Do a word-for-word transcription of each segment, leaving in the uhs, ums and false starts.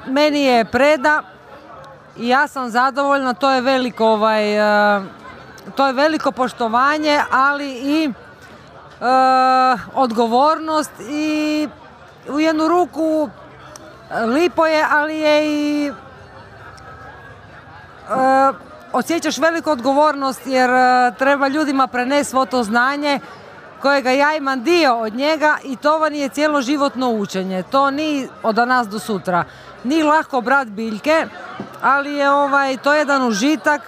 meni je preda i ja sam zadovoljna, to je veliko, ovaj, to je veliko poštovanje, ali i uh, odgovornost i u jednu ruku lipo je, ali je i uh, osjećaš veliku odgovornost jer uh, treba ljudima prenesti svo to znanje kojega ja imam dio od njega i to vam je cjeloživotno učenje. To nije od danas do sutra. Nije lako brat biljke, ali je ovaj, to jedan užitak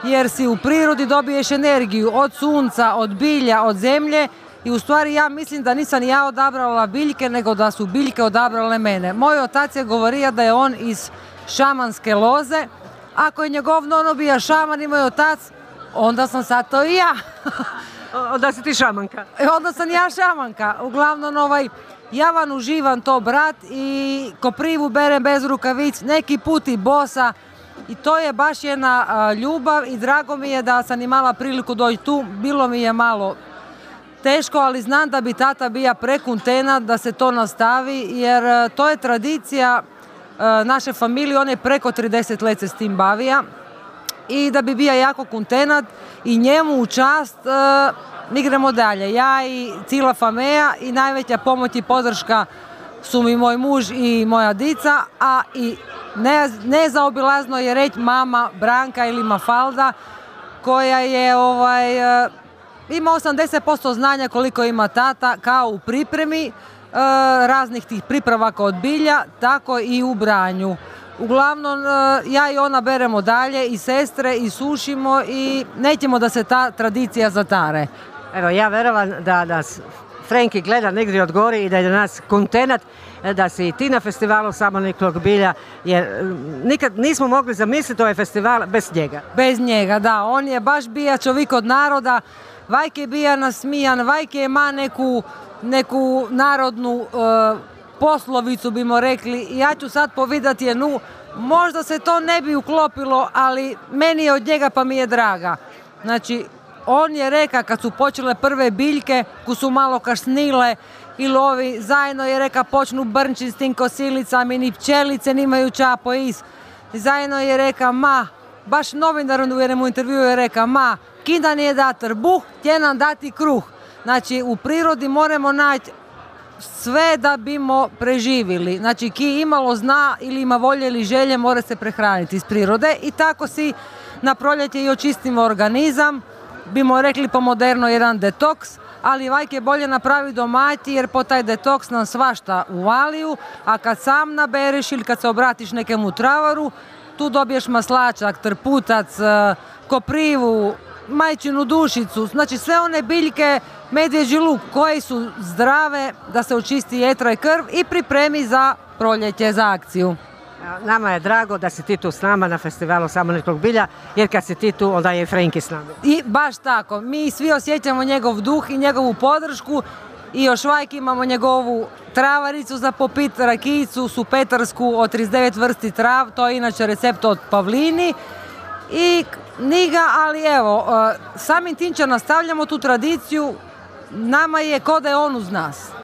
jer si u prirodi dobiješ energiju od sunca, od bilja, od zemlje i u stvari ja mislim da nisam ja odabrala biljke, nego da su biljke odabrale mene. Moj otac je govorio da je on iz šamanske loze. Ako je njegov nono bija šaman i moj otac, onda sam sad to i ja. Onda si ti šamanka. Onda sam ja šamanka. Uglavnom, ovaj, ja vam uživam to, brat, i koprivu berem bez rukavic, neki put i bosa. I to je baš jedna a, ljubav i drago mi je da sam imala priliku doći tu. Bilo mi je malo teško, ali znam da bi tata bija prekontenat da se to nastavi, jer a, to je tradicija a, naše familije, on je preko trideset let se s tim bavija. I da bi bio jako kontenat i njemu u čast uh, mi gremo dalje. Ja i cijela familija i najveća pomoć i podrška su mi moj muž i moja dica, a i ne, nezaobilazno je reći mama Branka ili Mafalda koja je ovaj, uh, ima osamdeset posto znanja koliko ima tata kao u pripremi uh, raznih tih pripravaka od bilja, tako i u branju. Uglavnom, ja i ona beremo dalje i sestre i sušimo i nećemo da se ta tradicija zatare. Evo, ja verovam da nas Frenki gleda negdje od gore i da je nas kontenat da si i ti na festivalu Samoniklog bilja, jer nikad nismo mogli zamisliti ovaj festival bez njega. Bez njega, da. On je baš bija čovjek od naroda, vajke bija nasmijan, vajke ima neku, neku narodnu uh, poslovicu bimo rekli, ja ću sad povidati jednu, možda se to ne bi uklopilo, ali meni je od njega pa mi je draga. Znači, on je reka kad su počele prve biljke, ko su malo kasnile i lovi, zajedno je reka počnu brnči s tim kosilicama i ni pčelice nimaju čapo is. Zajedno je reka, ma, baš novinar u jednom intervju je reka, ma, kinda nije da trbuh, tje nam dati kruh. Znači, u prirodi moramo naći sve da bimo preživili. Znači, ki imalo zna ili ima volje ili želje, mora se prehraniti iz prirode i tako si na proljeće i očistimo organizam, bimo rekli po moderno jedan detoks, ali vajke bolje napravi domaći jer po taj detoks nam svašta uvaliju, a kad sam nabereš ili kad se obratiš nekemu travaru, tu dobiješ maslačak, trputac, koprivu, majčinu dušicu, znači sve one biljke, medvjeđi luk koji su zdrave da se očisti jetra i krv i pripremi za proljeće, za akciju. Nama je drago da si ti tu s nama na festivalu Samoniklog bilja, jer kad si ti tu, onda je Frenki s nama. I baš tako, mi svi osjećamo njegov duh i njegovu podršku i još vajk imamo njegovu travaricu za popit, rakijicu, supetarsku od trideset devet vrsti trav, to je inače recept od Pavlini. I niga, ali evo, samim tim će nastavljamo tu tradiciju, nama je ko da je on uz nas.